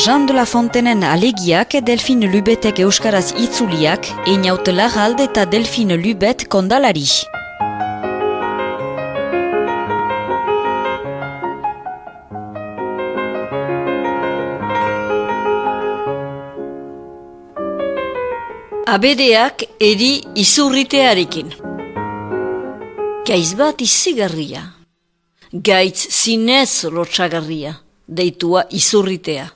Jean de la Fontenen alegiak Delphine Lubetek euskaraz itzuliak, Einaut Larralde eta Delphine Lubet kondalari. Abereak eri izurritearekin. Gaiz bat izigarria. Gaitz zinez lotxagarria, deitua izurritea.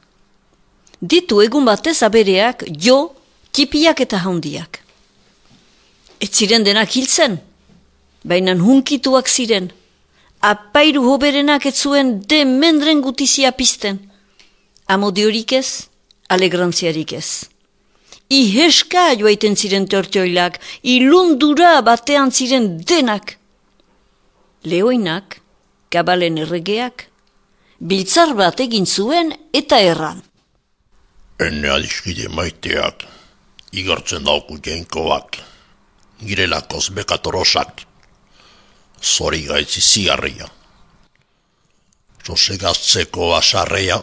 Ditu egun batez abereak jo, tipiak eta handiak. Ez ziren denak hiltzen, baina hunkituak ziren. Apairu hoberenak ez zuen demendren gutizia pizten. Amodiorik ez, alegrantziarik ez. Iheska joaiten ziren tortioilak, ilundura batean ziren denak. Leoinak, kabalen erregeak, biltzar bat egin zuen eta erran. Ene adiskide maiteak, igartzen dauku jainkoak, girelakoz bekatorosak, zori gaitzi ziarria. Sosegaztzeko asarrea,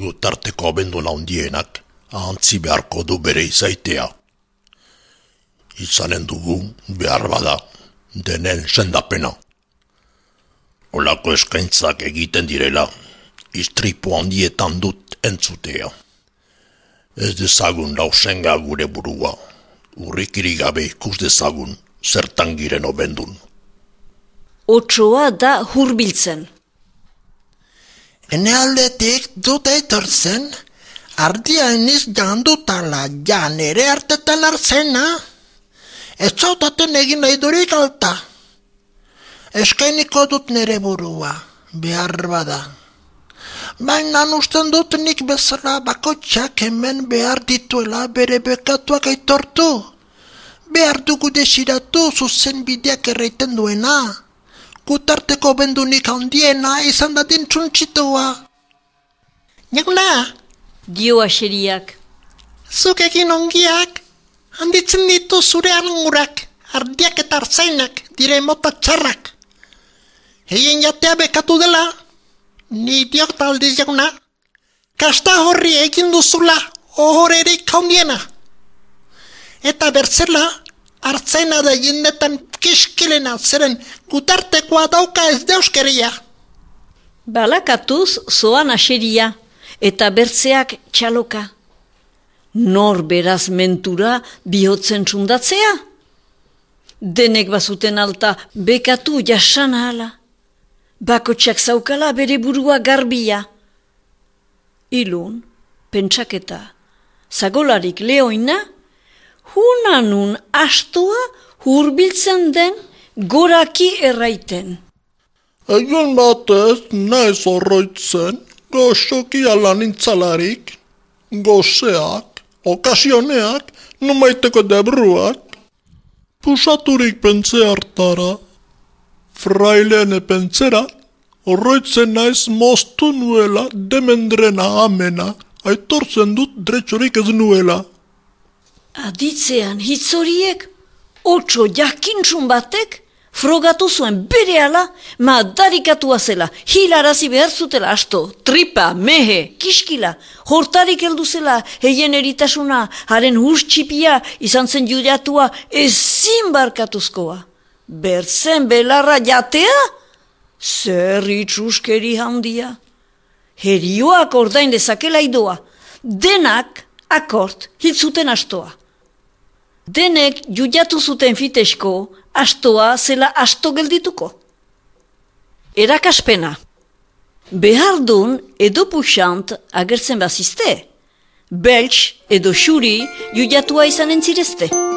gutarteko abenduna hundienak, ahantzi beharko du bere izaitea. Izanen dugu behar bada, denen sendapena. Olako eskaintzak egiten direla, istripu handietan dut entzutea. Ez dezagun lausenga gure burua, urrikiri gabe ikus dezagun, zertan giren obendun. Otsoa da hurbiltzen. Ene aldetik dut eitortzen, ardia eniz jandutala, ja nere hartetan arzena. Ez zautaten egin nahi durik alta. Eskainiko dut nere burua, behar bada. Baina usten dut nik bezala bakotxak hemen behar dituela bere bekatuak aitortu. Behar dugu desiratu zuzen bideak erraiten duena. Gutarteko bendunik handiena izan dadin txuntxitua. Jaguna! Dio aseriak. Zuk egin ongiak, handitzen ditu zure arangurak, ardiak eta arzainak, dire mota txarrak. Heien jatea bekatu dela, ni diok taldiz jaguna, kasta horri egin duzula ohorerik handiena. Eta bertzela, artzaina da jendetan kiskilena zeren gutartekoa dauka ez deuskeria. Balakatuz zoan aseria. Eta bertzeak txaloka. Nor beraz mentura bihotzen txundatzea? Denek bazuten alta bekatu jasan ahala. Bakotxak zaukala bere burua garbia. Ilun, pentsaketa, zagolarik leoina, hunanun astoa hurbiltzen den goraki erraiten. Egun batez naiz horroitzen, goxoki alan intzalarik, gozeak, okasioneak, numaiteko debruak, pusaturik pentze hartara, frailene pentzera, horroitzen naiz moztu nuela demendrena amena, aitortzen dut dretxorik ez nuela. Aditzean hitzoriek, otso jakintxun batek, frogatu zuen berehala, madarikatua zela, hilarazi behar zutela asto, tripa, mehe, kiskila, hortarik heldu zela, heien eritasuna, haren hurtxipia, izan zen judatua, ezin barkatuzkoa. Bertzen belarra jatea? Zer itxuskeri handia. Herioak ordain dezakela idoa, denak akort hitzuten astoa. Denek judatu zuten fitesko, astoa zela asto geldituko. Erakaspena. Behardun edo puxant agertzen bazizte. Belts edo xuri judatua izan entzirezte.